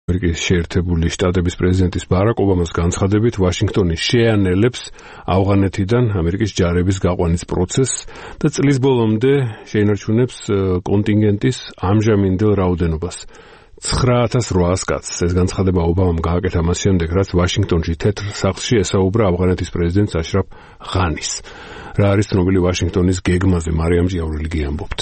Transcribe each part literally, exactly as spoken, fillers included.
ამერიკის შეერთებული შტატების პრეზიდენტის ბარაკ ობამას განცხადებით, ვაშინგტონი შეანელებს ავღანეთიდან ამერიკის ჯარების გაყვანის პროცესს და წლის ბოლომდე შეინარჩუნებს კონტინგენტის ამჟამინდელ რაოდენობას. ცხრა ათას რვაას კაცს. ეს განცხადება ობამამ გააკეთა მას შემდეგ, რაც ვაშინგტონში თეთრ სახლში ესაუბრა ავღანეთის პრეზიდენტს აშრაფ ღანის. რა არის ცნობილი ვაშინგტონის გეგმაზე, მარიამ ჭიაურელი გიამბობთ.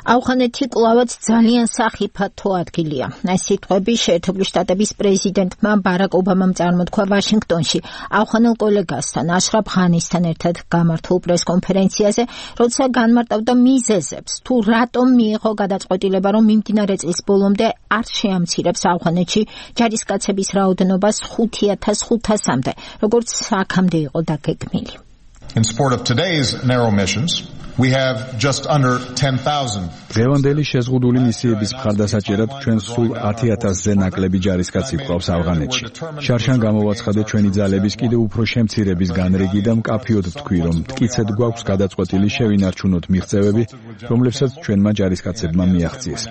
ავღანეთი კვლავაც ძალიან სახიფათო ადგილია. ეს სიტყვები შეერთებული შტატების პრეზიდენტმა ბარაკ ობამამ წარმოთქვა ვაშინგტონში ავღანელ კოლეგასთან აშრაფ ღანისთან ერთად გამართულ პრესკონფერენციაზე, როცა განმარტავდა მიზეზებს, თუ რატომ მიიღო გადაწყვეტილება, რომ მიმდინარე წლის ბოლომდე არ შეამცირებს ავღანეთში ჯარისკაცების რაოდენობას ხუთ ათას ხუთასამდე, როგორც აქამდე იყო დაგეგმილი. In support of today's narrow missions, we have just under ten thousand. დღევანდელი შეზღუდული მისიების მხარდასაჭერად ჩვენ სულ ათი ათასზე ნაკლები ჯარისკაცი გვყავს ავღანეთში. შარშან გამოვაცხადე ჩვენი ძალების კიდევ უფრო შემცირების განრიგი და მკაფიოდ ვთქვი, რომ მტკიცედ გვაქვს გადაწყვეტილი შევინარჩუნოთ მიღწევები, რომლებსაც ჩვენმა ჯარისკაცებმა მიაღწიეს.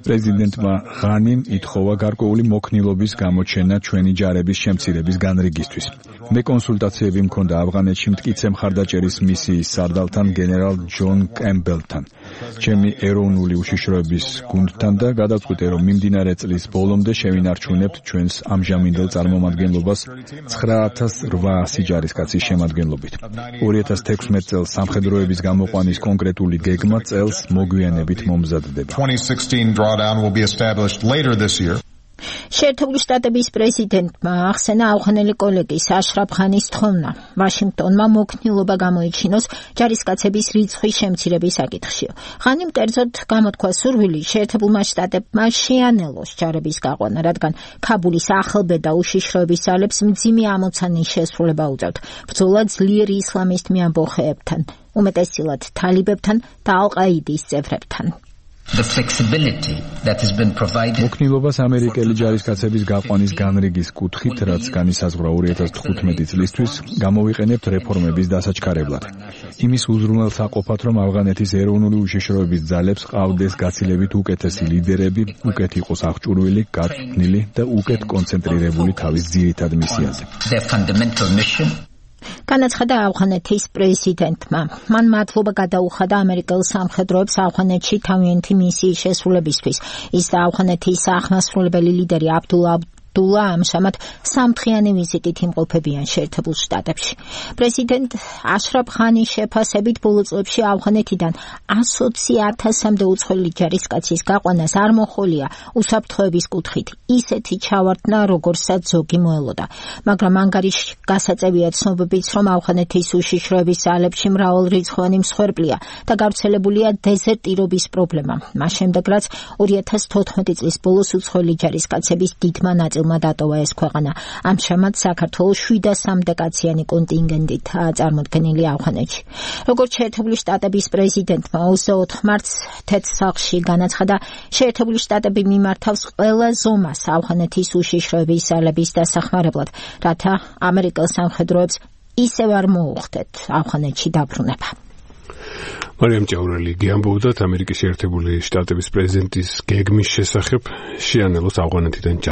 პრეზიდენტმა ღანიმ ითხოვა გარკვეული მოქნილობის გამოჩენა ჩვენი ჯარების შემცირების განრიგისთვის. მე კონსულტაციები მქონდა ავღანეთში მტკიცე მხარდაჭერის მისიის სარდალთან გენერალ ჯონ კემბელთან, ჩემი ეროვნული უშიშროების გუნდთან და გადავწყვიტე, რომ მიმდინარე წლის ბოლომდე შევინარჩუნებთ ჩვენს ამჟამინდელ წარმომადგენლობას ცხრა ათას რვაასი ჯარისკაცის შემადგენლობით. ორი ათას თექვსმეტ წელს სამხედროების გამოყვანის კონკრეტული გეგმა წელს მოგვიანებით მომზადდება. შეერთებული შტატების პრეზიდენტმა ახსენა ავღანელი კოლეგის აშრაფ ღანის თხოვნა ვაშინგტონმა მოქნილობა გამოიჩინოს ჯარისკაცების რიცხვის შემცირების საკითხში. ღანიმ კერძოდ გამოთქვა სურვილი შეერთებულმა შტატებმა შეანელოს ჯარების გაყვანა, რადგან ქაბულის ახალბედა უშიშროების ძალებს მძიმე ამოცანის შესრულება უწევთ ბრძოლა ძლიერი ისლამისტ მეამბოხეებთან, უმეტესწილად თალიბებთან და ალ-ყაიდის წევრებთან. The flexibility that has been provided. მოქნილობას ამერიკელი ჯარისკაცების გაყვანის განრიგის კუთხით, რაც განისაზღვრა ორი ათას თხუთმეტი წლისთვის, გამოვიყენებთ რეფორმების დასაჩქარებლად. იმის უზრუნველსაყოფად, რომ ავღანეთის ეროვნული უშიშროების ძალებს ყავდეს გაცილებით უკეთესი ლიდერები, უკეთ იყოს აღჭურვილი, გაწვნილი და უკეთ კონცენტრირებული თავის ძირითად მისიაზე. Their fundamental mission. განაცხადა ავღანეთის პრეზიდენტმა. მან მადლობა გადაუხადა ამერიკელ სამხედროებს ავღანეთში თავიანთი მისიის შესრულებისთვის. ის და ავღანეთის აღმასრულებელი ლიდერი აბდულა დულა ამჟამად სამთხრიანი ვიზიტით იმყოფებიან შეერთებულ შტატებში. პრეზიდენტ აშრაფ ღანის შეფასებით ბოლო წლებში ავღანეთიდან ოცი ათასამდე უცხოელი ჯარისკაცის გაყვანას არ მოხოლია უსაფრთხოების კუთხით ისეთი ჩავარდნა, როგორცაც ზოგი მოელოდა. მაგრამ ანგარიში გასაწევია ცნობებით, რომ ავღანეთის უშიშროების ძალებში მრავალრიცხოვანი მსხვერპლია და გავრცელებულია დეზერტირობის პრობლემა. მას შემდეგ, რაც ორი ათას თოთხმეტი წლის ბოლოს უცხოელი ჯარისკაცების დიდმა ნაწილმა დატოვა ეს ქვეყანა. ამჟამად საქართველოს შვიდასამდე კაციანი კონტინგენტითაა წარმოდგენილი ავღანეთში. როგორც შეერთებული შტატების პრეზიდენტმა ოცდაოთხ მარტს თეთრ სახლში განაცხადა, შეერთებული შტატები მიმართავს ყველა ზომას ავღანეთის უშიშროების ძალების დასახმარებლად, რათა ამერიკელ სამხედროებს ისევ არ მოუხდეთ ავღანეთში დაბრუნება. მარიამ ჭიაურელი გიამბობდათ ამერიკის შეერთებული შტატების პრეზიდენტის გეგმის შესახებ შეანელოს ავღანეთიდან